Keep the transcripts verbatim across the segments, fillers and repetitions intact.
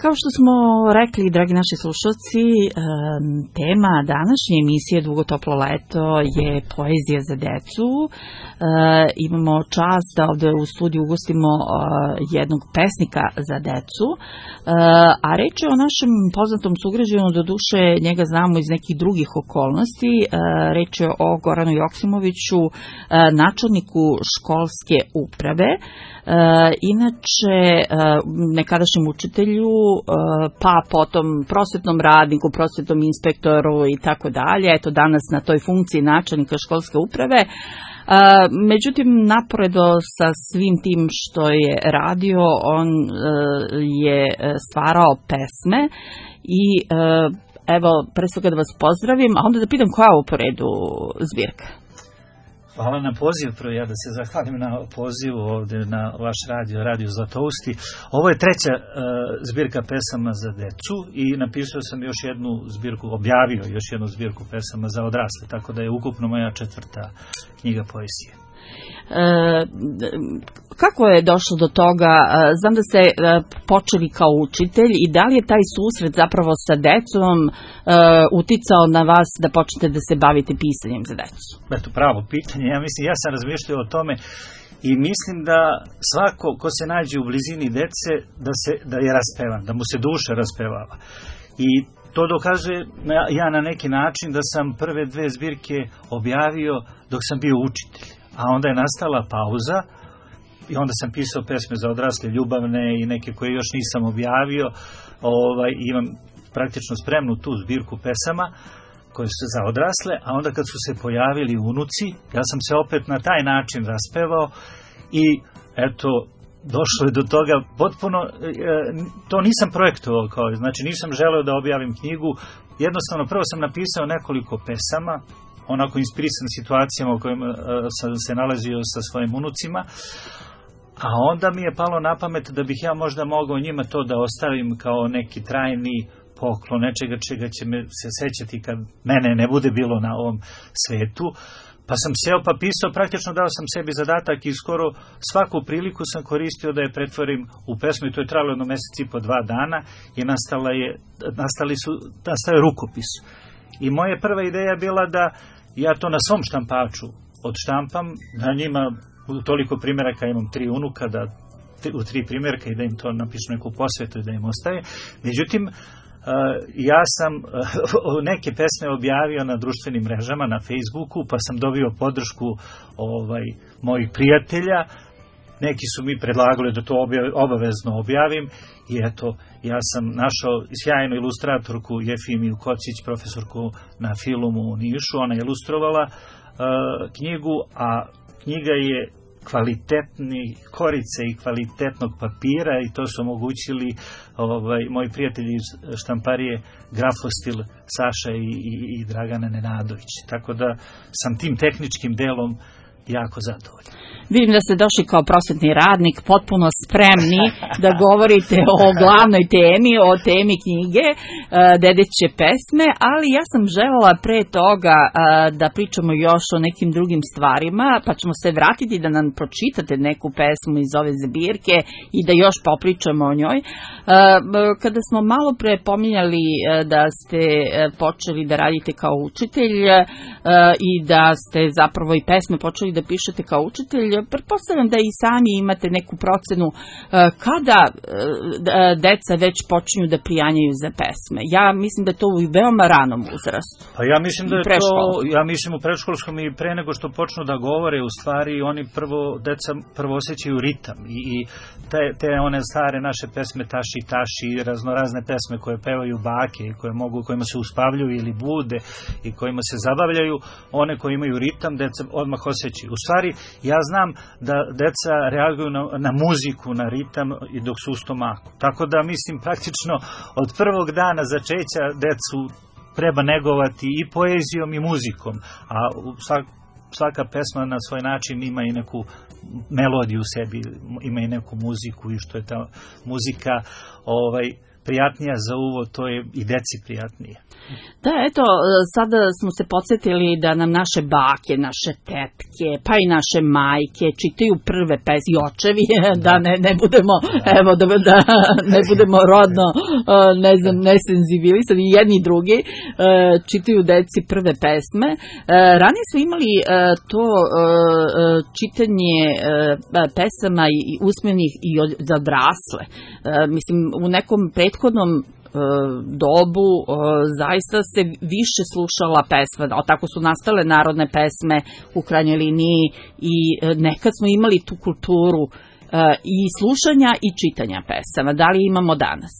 Kao što smo rekli, dragi naši slušalci, tema današnje emisije Dugo toplo leto je poezija za decu. Imamo čast da ovde u studiju ugostimo jednog pesnika za decu, a reč je o našem poznatom sugrađanu, do duše njega znamo iz nekih drugih okolnosti. Reč je o Goranu Joksimoviću, načelniku školske uprave, inače nekadašnjem učitelju, pa potom prosvetnom radniku, prosvetnom inspektoru i tako dalje. Eto, danas na toj funkciji načelnika školske uprave. Međutim, naporedo sa svim tim što je radio, on je stvarao pesme i evo, pre svega da vas pozdravim, a onda da pitam koja je ovo po redu zbirka? Hvala na poziv, prvo ja da se zahvalim na pozivu ovde na vaš radio, Radio Zlatousti. Ovo je treća uh, zbirka pesama za decu i napisao sam još jednu zbirku, objavio još jednu zbirku pesama za odrasle, tako da je ukupno moja četvrta knjiga poezije. E, kako je došlo do toga? Znam da ste počeli kao učitelj i da li je taj susret zapravo sa decom e, uticao na vas da počnete da se bavite pisanjem za decu? Eto, pravo pitanje. Ja mislim, ja sam razmišljao o tome i mislim da svako ko se nađe u blizini dece da, se, da je raspevan, da mu se duša raspevava. I to dokazuje ja na neki način da sam prve dve zbirke objavio dok sam bio učitelj. A onda je nastala pauza i onda sam pisao pesme za odrasle, ljubavne i neke koje još nisam objavio. Ovaj, imam praktično spremnu tu zbirku pesama koje su za odrasle, a onda kad su se pojavili unuci, ja sam se opet na taj način raspevao i eto, došlo je do toga potpuno, e, to nisam projektovao, kao, znači nisam želeo da objavim knjigu, jednostavno prvo sam napisao nekoliko pesama, onako inspirisan situacijama u kojima uh, sam se nalazio sa svojim unucima, a onda mi je palo na pamet da bih ja možda mogao njima to da ostavim kao neki trajni poklon, nečega čega će me se sećati kad mene ne bude bilo na ovom svetu. Pa sam seo pa pisao, praktično dao sam sebi zadatak i skoro svaku priliku sam koristio da je pretvorim u pesmu i to je trajalo jedno mesec i po dva dana i nastala je, nastali su, nastao je rukopis. I moja prva ideja bila da ja to na svom štampaču odštampam, na njima u toliko primjeraka, imam tri unuka, da u tri primjerka i da im to napišu neku posvetu i da im ostaje. Međutim, ja sam neke pesme objavio na društvenim mrežama, na Facebooku, pa sam dobio podršku ovaj, mojih prijatelja. Neki su mi predlagali da to obavezno objavim i eto, ja sam našao sjajnu ilustratorku Jefimiju Kocić, profesorku na Filumu u Nišu. Ona je ilustrovala uh, knjigu, a knjiga je kvalitetni korice i kvalitetnog papira i to su omogućili ovaj, moji prijatelji iz štamparije Grafostil, Saša i, i, i Dragana Nenadović. Tako da sam tim tehničkim delom jako zadovoljan. Vidim da ste došli kao prosvetni radnik, potpuno spremni da govorite o glavnoj temi, o temi knjige Dedeće pesme, ali ja sam želela pre toga da pričamo još o nekim drugim stvarima, pa ćemo se vratiti da nam pročitate neku pesmu iz ove zbirke i da još popričamo o njoj. Kada smo malo pre pominjali da ste počeli da radite kao učitelj i da ste zapravo i pesme počeli da pišete kao učitelj, pretpostavljam da i sami imate neku procenu kada deca već počinju da prijanjaju za pesme. Ja mislim da je to u veoma ranom uzrastu. Pa ja mislim da je to, ja mislim u predškolskom i pre nego što počnu da govore, u stvari oni prvo, deca prvo osjećaju ritam i, i te, te one stare naše pesme Taši Taši, raznorazne pesme koje pevaju bake i koje mogu, kojima se uspavljuju ili bude i kojima se zabavljaju, one koje imaju ritam, deca odmah osjećaju. U stvari, ja znam da deca reaguju na, na muziku, na ritam i dok su u stomaku. Tako da mislim praktično od prvog dana začeća decu treba negovati i poezijom i muzikom, a svak, svaka pesma na svoj način ima i neku melodiju u sebi, ima i neku muziku i što je ta muzika ovaj, prijatnija za uvo, to je i deci prijatnije. Da, eto, sada smo se podsjetili da nam naše bake, naše tetke, pa i naše majke čitaju prve pesme, i očevi, da ne, ne budemo, evo, da, da ne budemo rodno, ne znam, nesenzibilisani, jedni i drugi, čitaju deci prve pesme. Ranije smo imali to čitanje pesama i usmenih i za odrasle. Mislim, u nekom prethodnom dobu zaista se više slušala pesma, tako su nastale narodne pesme u krajnjoj liniji i nekad smo imali tu kulturu i slušanja i čitanja pesama. Da li imamo danas?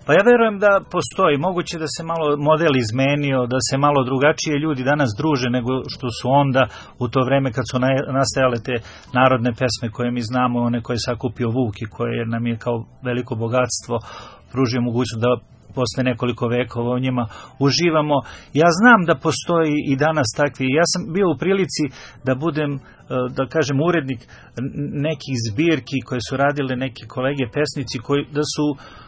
Pa ja verujem da postoji, moguće da se malo model izmenio, da se malo drugačije ljudi danas druže nego što su onda u to vreme kad su nastajale te narodne pesme koje mi znamo, one koje je sakupio Vuk i koje nam je kao veliko bogatstvo pružio mogućnost da posle nekoliko vekova o njima uživamo. Ja znam da postoji i danas takvi. Ja sam bio u prilici da budem, da kažem, urednik nekih zbirki koje su radile neki kolege pesnici koji, da su,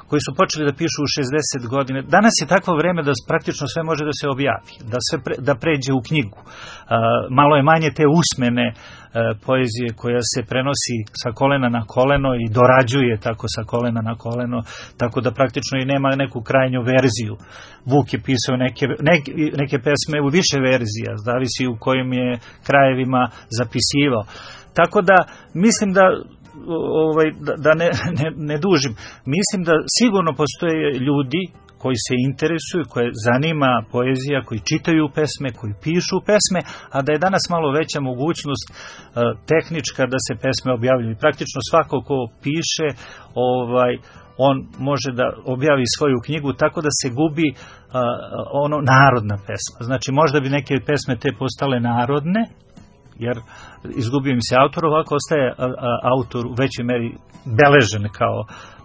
koji su počeli da pišu u šezdeset godine. Danas je takvo vreme da praktično sve može da se objavi, da, sve pre, da pređe u knjigu. Malo je manje te usmene poezije koja se prenosi sa kolena na koleno i dorađuje tako sa kolena na koleno, tako da praktično i nema neku krajnju verziju. Vuk je pisao neke, neke, neke pesme u više verzija, zavisi u kojim je krajevima zapisivao. Tako da mislim da ovaj, da, da ne, ne, ne dužim, mislim da sigurno postoje ljudi koji se interesuju, koje zanima poezija, koji čitaju pesme, koji pišu pesme, a da je danas malo veća mogućnost uh, tehnička da se pesme objavljuju. Praktično svako ko piše, ovaj, on može da objavi svoju knjigu tako da se gubi uh, ono narodna pesma. Znači možda bi neke pesme te postale narodne, jer izgubio im se autor, ovako ostaje a, a, autor u većoj meri beležen kao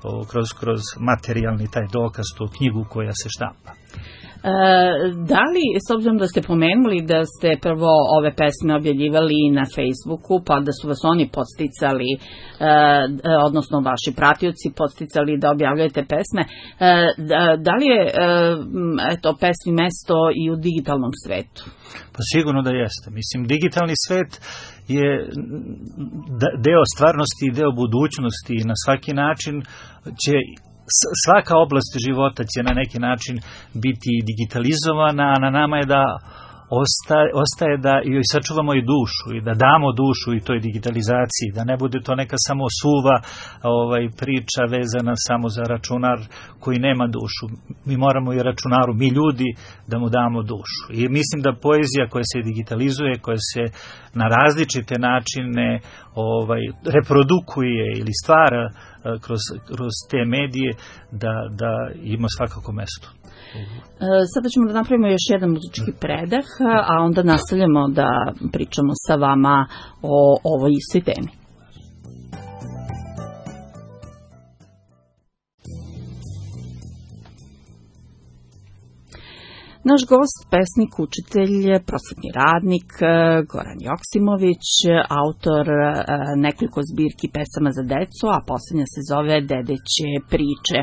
o, kroz, kroz materijalni taj dokaz, tu knjigu koja se štampa. E, da li, s obzirom da ste pomenuli da ste prvo ove pesme objavljivali na Facebooku, pa da su vas oni podsticali, e, odnosno vaši pratioci podsticali da objavljujete pesme, e, da, da li je e, eto, pesmi mesto i u digitalnom svetu? Pa sigurno da jeste. Mislim, digitalni svet je deo stvarnosti i deo budućnosti i na svaki način će svaka oblast života će na neki način biti digitalizovana, a na nama je da ostaje, ostaje da joj sačuvamo i dušu i da damo dušu i toj digitalizaciji, da ne bude to neka samo suva ovaj, priča vezana samo za računar koji nema dušu. Mi moramo i računaru, mi ljudi, da mu damo dušu. I mislim da poezija koja se digitalizuje, koja se na različite načine ovaj, reprodukuje ili stvara kroz, kroz te medije, da, da ima svakako mesto. Sada ćemo da napravimo još jedan muzički predah, a onda nastavljamo da pričamo sa vama o ovoj istoj temi. Naš gost, pesnik, učitelj, prosvetni radnik Goran Joksimović, autor nekoliko zbirki pesama za decu, a posljednja se zove Dedeće priče.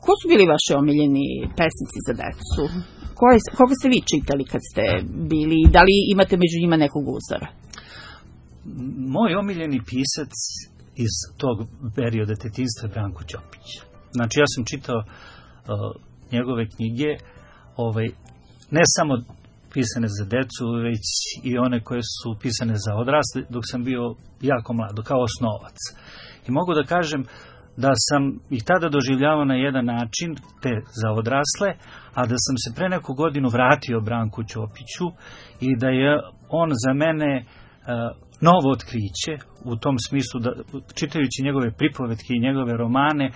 Ko su bili vaši omiljeni pesnici za decu? Koje, koga ste vi čitali kad ste bili? Da li imate među njima nekog uzora? Moj omiljeni pisac iz tog perioda detinjstva je Branko Ćopić. Znači ja sam čitao uh, njegove knjige, ovaj, ne samo pisane za decu, već i one koje su pisane za odrasle, dok sam bio jako mlad, kao osnovac. I mogu da kažem da sam ih tada doživljavao na jedan način, te za odrasle, a da sam se pre neku godinu vratio Branku Ćopiću i da je on za mene uh, novo otkriće, u tom smislu da, čitajući njegove pripovetke i njegove romane,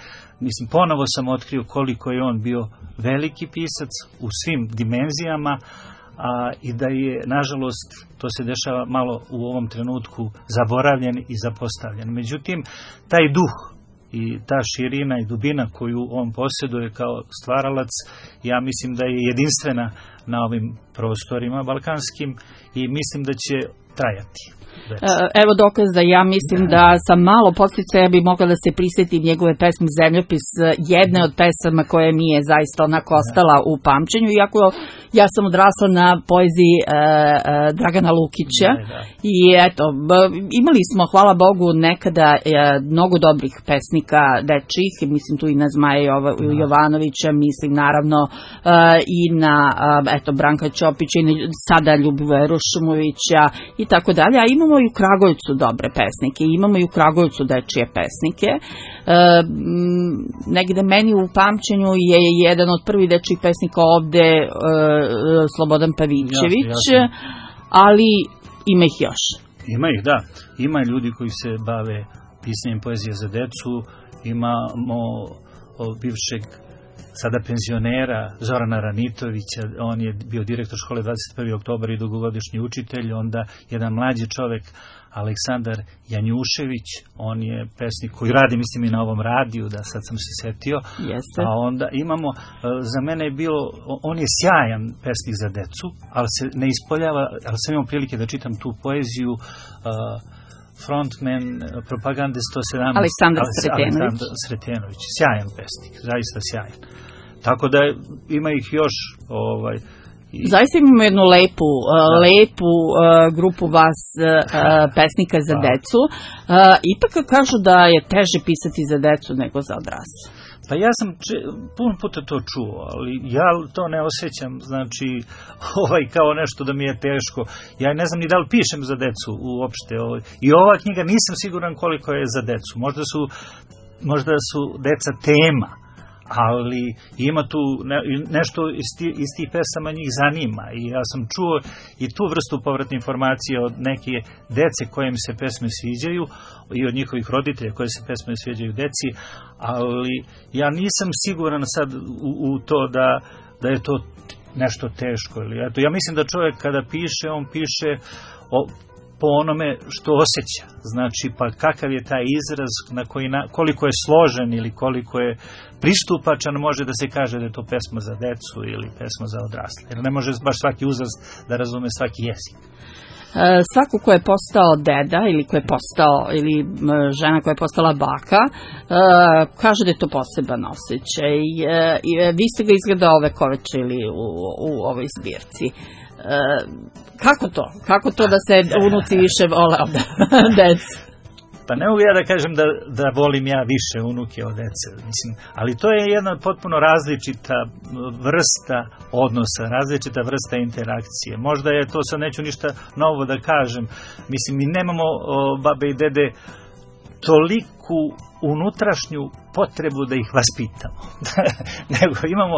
mislim, ponovo sam otkrio koliko je on bio veliki pisac u svim dimenzijama, a, i da je, nažalost, to se dešava malo u ovom trenutku, zaboravljen i zapostavljen. Međutim, taj duh i ta širina i dubina koju on posjeduje kao stvaralac, ja mislim da je jedinstvena na ovim prostorima balkanskim i mislim da će trajati. Evo dokaz da ja mislim da sam malo podsticaja bi mogla da se prisjetim njegove pesme Zemljopis, jedne od pesama koje mi je zaista onako ostala u pamćenju, iako ja sam odrasla na poeziji e, e, Dragana Lukića i eto, imali smo, hvala Bogu, nekada e, mnogo dobrih pesnika dečjih, mislim tu i na Zmaja Jovanovića, mislim naravno e, i na eto, Branka Ćopića i na, sada Ljubivoja Rušumovića i tako dalje, a imamo i u Kragujevcu dobre pesnike, imamo i u Kragujevcu dečije pesnike. E, negde meni u pamćenju je jedan od prvih dečjih pesnika ovde e, Slobodan Pavićević, jasne, jasne. Ali ima ih još. Ima ih, da. Ima ljudi koji se bave pisanjem poezije za decu, imamo bivšeg sada penzionera Zorana Ranitovića, on je bio direktor škole dvadeset prvi oktobar i dugogodišnji učitelj, onda jedan mlađi čovek Aleksandar Janjušević, on je pesnik koji radi, mislim, i na ovom radiju, da sad sam se setio. Jeste. A onda imamo, za mene je bilo, on je sjajan pesnik za decu, ali se ne ispoljava, ali sam imao prilike da čitam tu poeziju, frontman propagande sto sedamnaest Aleksandar Sretenović. Aleksandar Sretenović, sjajan pesnik, zaista sjajan. Tako da ima ih još, ovaj, i... Zaista imamo jednu lepu, uh, lepu uh, grupu vas uh, pesnika za decu. Uh, ipak kažu da je teže pisati za decu nego za odrasle. Pa ja sam če, puno puta to čuo, ali ja to ne osjećam, znači, ovaj, kao nešto da mi je teško. Ja ne znam ni da li pišem za decu uopšte. Ovaj. I ova knjiga nisam siguran koliko je za decu. Možda su, možda su deca tema, ali ima tu ne, nešto iz, ti, iz tih pesama njih zanima i ja sam čuo i tu vrstu povratne informacije od neke dece koje mi se pesme sviđaju i od njihovih roditelja koje se pesme sviđaju deci, ali ja nisam siguran sad u, u to da, da je to nešto teško. Ili, eto, ja mislim da čovjek kada piše, on piše o, po onome što osjeća. Znači, pa kakav je taj izraz, na koji na, koliko je složen ili koliko je pristupačan, može da se kaže da je to pesma za decu ili pesma za odrasle. Jer ne može baš svaki uzrast da razume svaki jezik. Svako ko je postao deda ili ko je postao ili žena koja je postala baka kaže da je to poseban osjećaj. Vi ste ga izgleda ove kovečili u, u ovoj zbirci. Kako to? Kako to da se unuci više vole od dece? Pa ne mogu ja da kažem da, da volim ja više unuke od dece, mislim, ali to je jedna potpuno različita vrsta odnosa, različita vrsta interakcije. Možda je to, sad neću ništa novo da kažem, mislim, mi nemamo o, babe i dede toliku unutrašnju potrebu da ih vaspitamo, nego imamo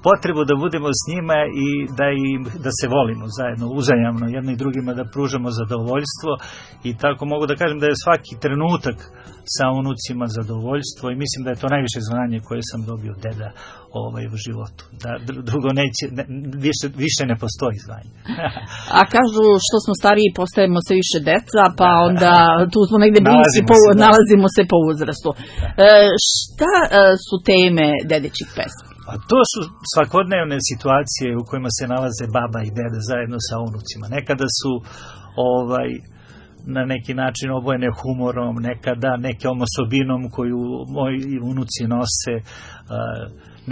potrebu da budemo s njima i da, im, da se volimo zajedno, uzajamno, jedno i drugima da pružamo zadovoljstvo i tako mogu da kažem da je svaki trenutak sa unucima zadovoljstvo i mislim da je to najviše zvanje koje sam dobio od deda ovaj, u životu. Da, drugo neće, ne, više, više ne postoji zvanje. A kažu što smo stariji postajemo sve više deca, pa onda tu smo negde bliski, po, se, nalazimo se po uzrastu. E, šta e, su teme dedećih pesmi? A to su svakodnevne situacije u kojima se nalaze baba i deda zajedno sa unucima. Nekada su ovaj, na neki način obojene humorom, nekada nekom osobinom koju moji unuci nose.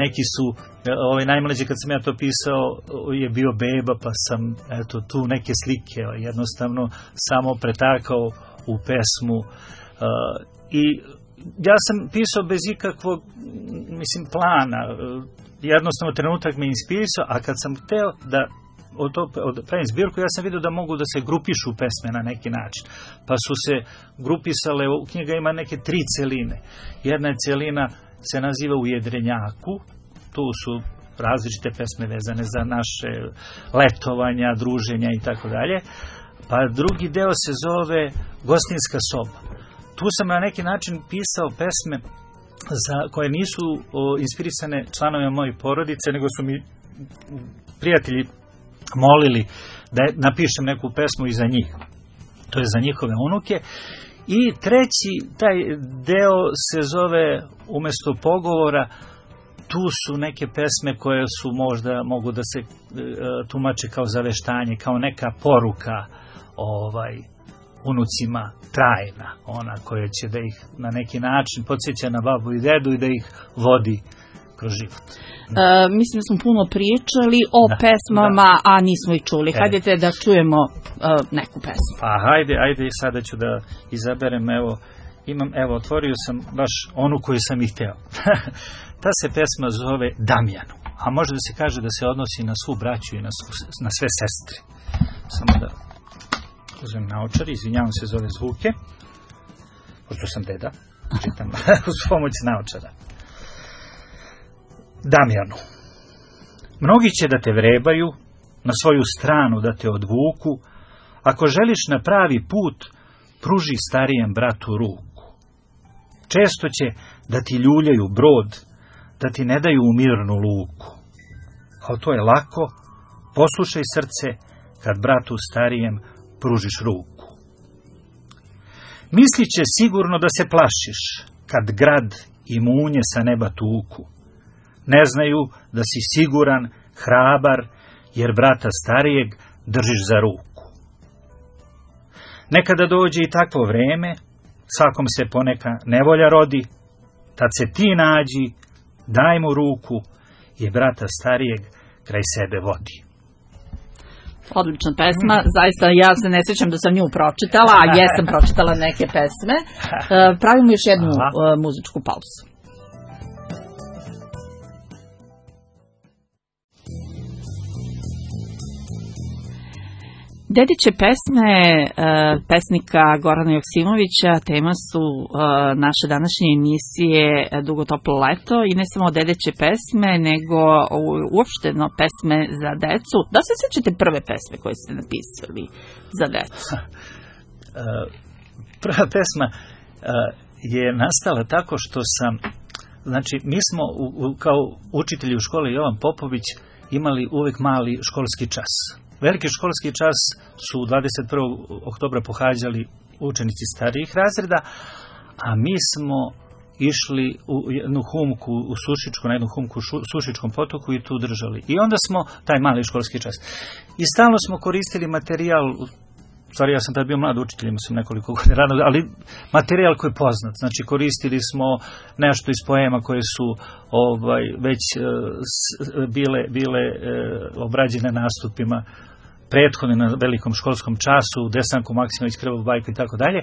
Neki su, ovaj najmlađi kad sam ja to pisao je bio beba, pa sam eto tu neke slike jednostavno samo pretakao u pesmu i ja sam pisao bez ikakvog, mislim, plana. Jednostavno trenutak me inspirisao, a kad sam hteo da od to, od pravim zbirku, ja sam vidio da mogu da se grupišu pesme na neki način. Pa su se grupisale, u knjiga ima neke tri celine. Jedna celina se naziva U jedrenjaku, tu su različite pesme vezane za naše letovanja, druženja i tako dalje. Pa drugi deo se zove Gostinska soba. Tu sam na neki način pisao pesme za, koje nisu o, inspirisane članovima moje porodice, nego su mi prijatelji molili da napišem neku pesmu i za njih. To je za njihove unuke. I treći, taj deo se zove Umesto pogovora. Tu su neke pesme koje su možda mogu da se e, tumače kao zaveštanje, kao neka poruka ovaj, unucima trajna, ona koja će da ih na neki način podsjeća na babu i dedu i da ih vodi kroz život. E, mislim da smo puno pričali o da, pesmama, da. A nismo ih čuli. E. Hajdete da čujemo e, neku pesmu. Pa hajde, ajde, sada ću da izaberem, evo, imam, evo, otvorio sam baš onu koju sam ih hteo. Ta se pesma zove Damjanu, a može da se kaže da se odnosi na svu braću i na, svu, na sve sestre. Samo da uzmem naočar, izvinjavam se za ove zvuke, pošto sam deda, čitam uz pomoć naočara. Damjanu, mnogi će da te vrebaju, na svoju stranu da te odvuku, ako želiš na pravi put, pruži starijem bratu ruku. Često će da ti ljuljaju brod, da ti ne daju u mirnu luku. Ali to je lako, poslušaj srce, kad bratu starijem pružiš ruku. Mislit će sigurno da se plašiš, kad grad i munje sa neba tuku. Ne znaju da si siguran, hrabar, jer brata starijeg držiš za ruku. Nekada dođe i takvo vreme, svakom se poneka nevolja rodi, tad se ti nađi, daj mu ruku, jer brata starijeg kraj sebe vodi. Odlična pesma, zaista ja se ne sjećam da sam nju pročitala, a jesam pročitala neke pesme. Pravimo još jednu Aha. muzičku pauzu. Dediće pesme pesnika Gorana Joksimovića tema su naše današnje emisije Dugo toplo leto i ne samo dedeće pesme, nego uopšteno pesme za decu. Da se sjećate prve pesme koje ste napisali za decu? Prva pesma je nastala tako što sam, znači mi smo kao učitelji u školi Jovan Popović imali uvek mali školski čas. Veliki školski čas su dvadeset prvog oktobra pohađali učenici starijih razreda, a mi smo išli u jednu humku u Sušičku, na jednu humku u Sušičkom potoku i tu držali. I onda smo taj mali školski čas. I stalno smo koristili materijal, stvari ja sam tad bio mlad učitelj, imao sam nekoliko godina rano, ali materijal koji je poznat. Znači koristili smo nešto iz poema koje su ovaj, već uh, bile, bile uh, obrađene nastupima prethodno na velikom školskom času, Desanku Maksimović, Krvavu bajku i tako dalje.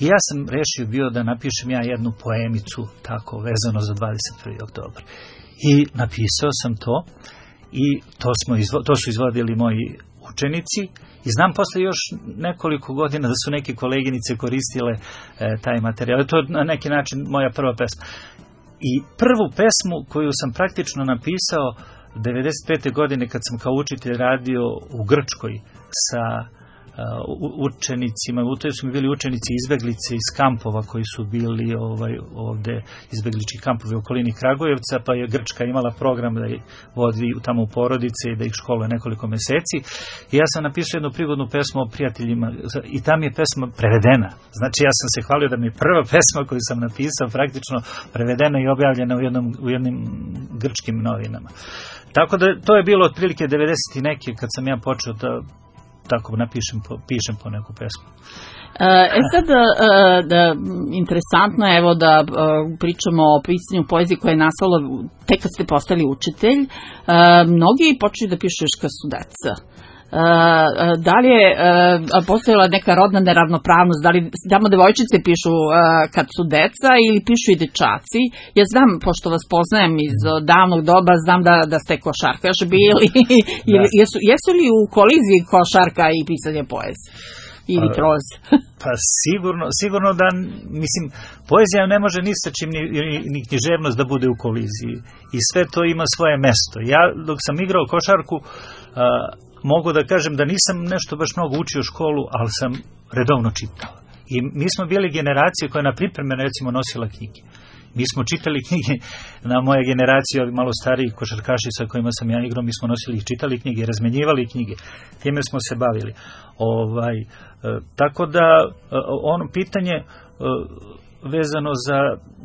I ja sam rešio bio da napišem ja jednu poemicu tako vezano za dvadeset prvi oktobar. I napisao sam to i to, smo izvo, to su izvodili moji učenici i znam posle još nekoliko godina da su neke koleginice koristile e, taj materijal. To je na neki način moja prva pesma. I prvu pesmu koju sam praktično napisao devedeset pete godine kad sam kao učitelj radio u Grčkoj sa uh, učenicima, u toj su mi bili učenici izbeglice iz kampova koji su bili ovaj, ovde izbeglički kampovi u okolini Kragujevca, pa je Grčka imala program da ih vodi tamo u porodice i da ih školuje nekoliko meseci. I ja sam napisao jednu prigodnu pesmu o prijateljima i tam je pesma prevedena. Znači ja sam se hvalio da mi je prva pesma koju sam napisao praktično prevedena i objavljena u, jednom, u jednim grčkim novinama. Tako da to je bilo otprilike devedeset i neke kad sam ja počeo da tako napišem po, pišem po neku pesmu. E sad, da, interesantno je evo da pričamo o pisanju poezije koja je nastala tek kad ste postali učitelj. Mnogi počeli da pišu još kad su deca. Da li je postojala neka rodna neravnopravnost, da li samo devojčice pišu kad su deca ili pišu i dečaci? Ja znam, pošto vas poznajem iz davnog doba, znam da, da ste košarkaš bili. Da. jesu, jesu li u koliziji košarka i pisanje poezije? Ili proz? Pa sigurno, sigurno da, mislim, poezija ne može ni sa čim, ni, ni književnost da bude u koliziji. I sve to ima svoje mesto. Ja, dok sam igrao košarku, mogu da kažem da nisam nešto baš mnogo učio školu, ali sam redovno čitao. I mi smo bili generacija koja na pripreme recimo nosila knjige. Mi smo čitali knjige, na moje generacije, ovi malo stariji košarkaši sa kojima sam ja igrao, mi smo nosili i čitali knjige, razmenjivali knjige. Time smo se bavili. Ovaj, e, tako da, e, ono pitanje e, vezano za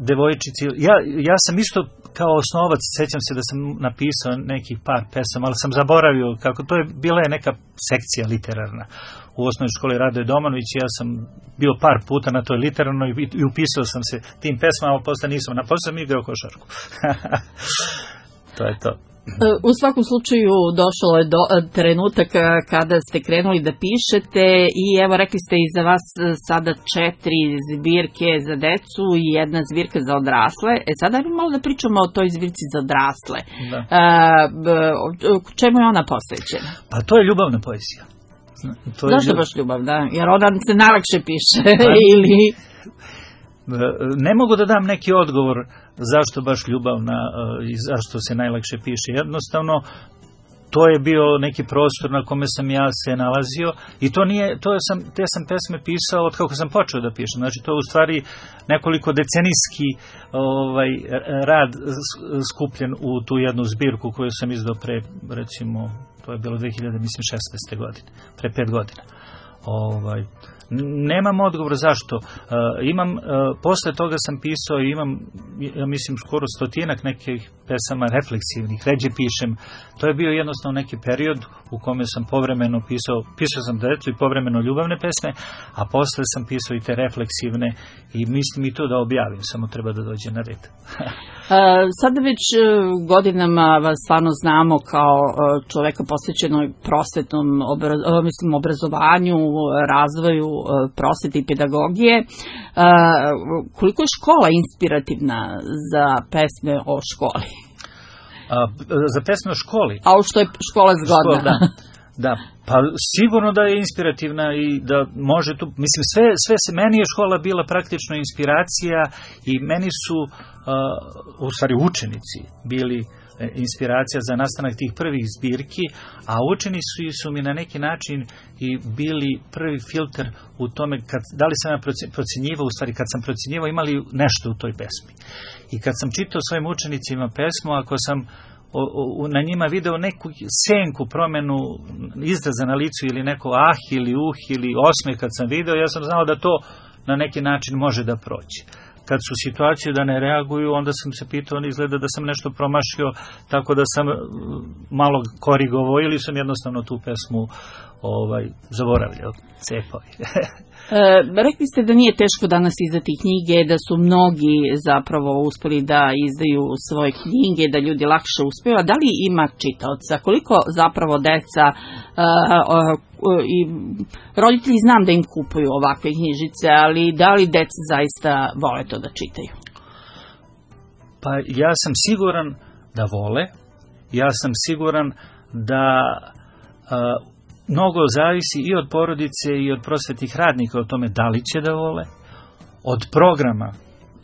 devojčici, ja, ja sam isto kao osnovac, sećam se da sam napisao nekih par pesama, ali sam zaboravio kako, to je bila je neka sekcija literarna u osnovnoj školi Radoje Domanović, ja sam bio par puta na toj literarnoj i upisao sam se tim pesmama, ali posle nisam, na posle sam igrao košarku. To je to. U svakom slučaju došao je do trenutak kada ste krenuli da pišete i evo rekli ste i za vas sada četiri zbirke za decu i jedna zbirka za odrasle. E sada ajmo malo da pričamo o toj zbirci za odrasle. Da. E, čemu je ona posvećena? Pa to je ljubavna poezija. To je Zašto ljubav... baš ljubav, da? Jer ona se najlakše piše ili... Ne mogu da dam neki odgovor zašto baš ljubavna i zašto se najlakše piše. Jednostavno, to je bio neki prostor na kome sam ja se nalazio i to nije, to sam, te sam pesme pisao od kako sam počeo da pišem. Znači, to je u stvari nekoliko decenijski ovaj, rad skupljen u tu jednu zbirku koju sam izdao pre, recimo, to je bilo dve hiljade šesnaeste godine, pre pet godina. Ovaj, nemam odgovor zašto. Uh, imam, uh, posle toga sam pisao i imam, ja mislim, skoro stotinak nekih pesama refleksivnih, ređe pišem. To je bio jednostavno neki period u kome sam povremeno pisao, pisao sam decu i povremeno ljubavne pesme, a posle sam pisao i te refleksivne i mislim i to da objavim, samo treba da dođe na red. Sada već godinama vas stvarno znamo kao čoveka posvećenoj prosvetnom mislim, obrazovanju, razvoju prosvete i pedagogije. Koliko je škola inspirativna za pesme o školi? A, za pesme o školi? A o što je škola zgodna? Škola, da. Da, pa sigurno da je inspirativna i da može tu, mislim, sve, sve se, meni je škola bila praktično inspiracija i meni su, uh, u stvari učenici, bili inspiracija za nastanak tih prvih zbirki, a učenici su mi na neki način i bili prvi filter u tome, kad, da li sam ja procjenjivao, u stvari kad sam procjenjivao imali nešto u toj pesmi. I kad sam čitao svojim učenicima pesmu, ako sam O, o, na njima video neku senku promenu izraza na licu ili neko ah ili uh ili osmeh kad sam video, ja sam znao da to na neki način može da proći. Kad su situaciju da ne reaguju, onda sam se pitao, on izgleda da sam nešto promašio, tako da sam malo korigovao ili sam jednostavno tu pesmu ovaj, zaboravljao, cepao. E, rekli ste da nije teško danas izdati knjige, da su mnogi zapravo uspeli da izdaju svoje knjige, da ljudi lakše uspeju, a da li ima čitaoca? Koliko zapravo deca a, a, a, i roditelji znam da im kupuju ovakve knjižice, ali da li deca zaista vole to da čitaju? Pa ja sam siguran da vole, ja sam siguran da a, mnogo zavisi i od porodice i od prosvetnih radnika o tome da li će da vole, od programa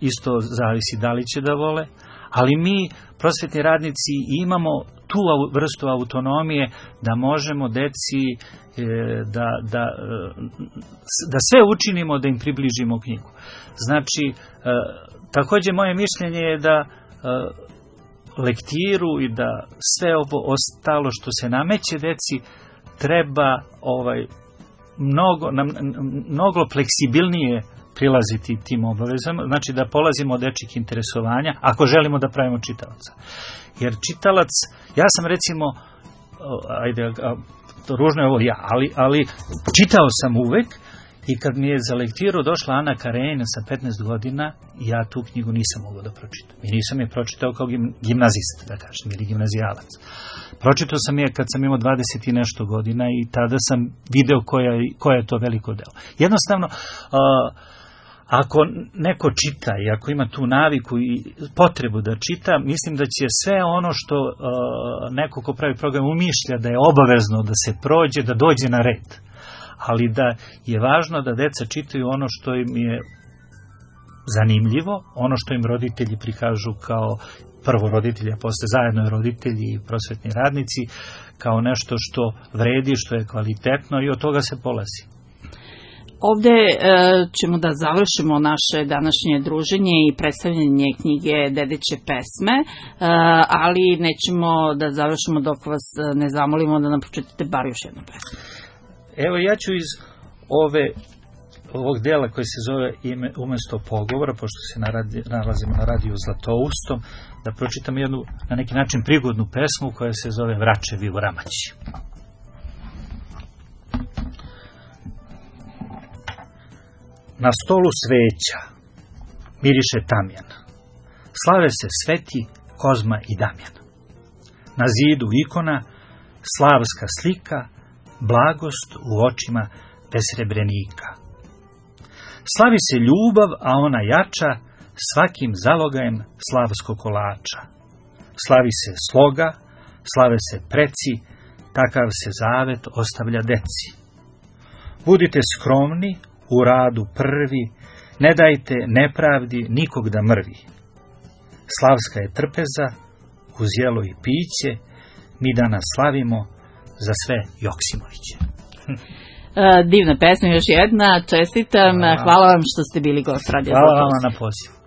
isto zavisi da li će da vole, ali mi, prosvetni radnici, imamo tu vrstu autonomije da možemo deci da, da, da sve učinimo da im približimo knjigu. Znači, takođe moje mišljenje je da lektiru i da sve ovo ostalo što se nameće deci treba ovaj, mnogo, mnogo fleksibilnije prilaziti tim obavezama, znači da polazimo od dečjih interesovanja, ako želimo da pravimo čitalaca. Jer čitalac, ja sam recimo, ajde, ružno je ovo ja, ali, ali čitao sam uvek i kad mi je za lektiru došla Ana Karenina sa petnaest godina, ja tu knjigu nisam mogao da pročitam. I nisam je pročitao kao gimnazist, da kažem, ili gimnazijalac. Pročitao sam je kad sam imao dvadeset i nešto godina i tada sam video koja, koja je to veliko delo. Jednostavno, uh, ako neko čita i ako ima tu naviku i potrebu da čita, mislim da će sve ono što uh, neko ko pravi program umišlja da je obavezno da se prođe, da dođe na red. Ali da je važno da deca čitaju ono što im je zanimljivo, ono što im roditelji prikažu kao prvo roditelji, a posle zajedno roditelji i prosvetni radnici, kao nešto što vredi, što je kvalitetno i od toga se polazi. Ovde e, ćemo da završimo naše današnje druženje i predstavljanje knjige Dedeće pesme, e, ali nećemo da završimo dok vas ne zamolimo da nam pročitate bar još jednu pesmu. Evo, ja ću iz ove, ovog dela koji se zove ime, Umesto pogovora, pošto se naradi, nalazimo na radiju Zlatoustom, da pročitam jednu, na neki način, prigodnu pesmu koja se zove Vračevi u Ramaći. na stolu sveća, miriše tamjan. Slave se Sveti Kozma i Damjan. Na zidu ikona, slavska slika, blagost u očima besrebrenika. Slavi se ljubav, a ona jača svakim zalogajem slavskog kolača. Slavi se sloga, slave se preci, takav se zavet ostavlja deci. Budite skromni, u radu prvi, ne dajte nepravdi nikog da mrvi. Slavska je trpeza, uz jelo i piće, mi danas slavimo za sve Joksimoviće. Divna pesma još jedna, čestitam, hvala, hvala vam što ste bili gost Radio Zlatousti. Hvala vam na pozivu.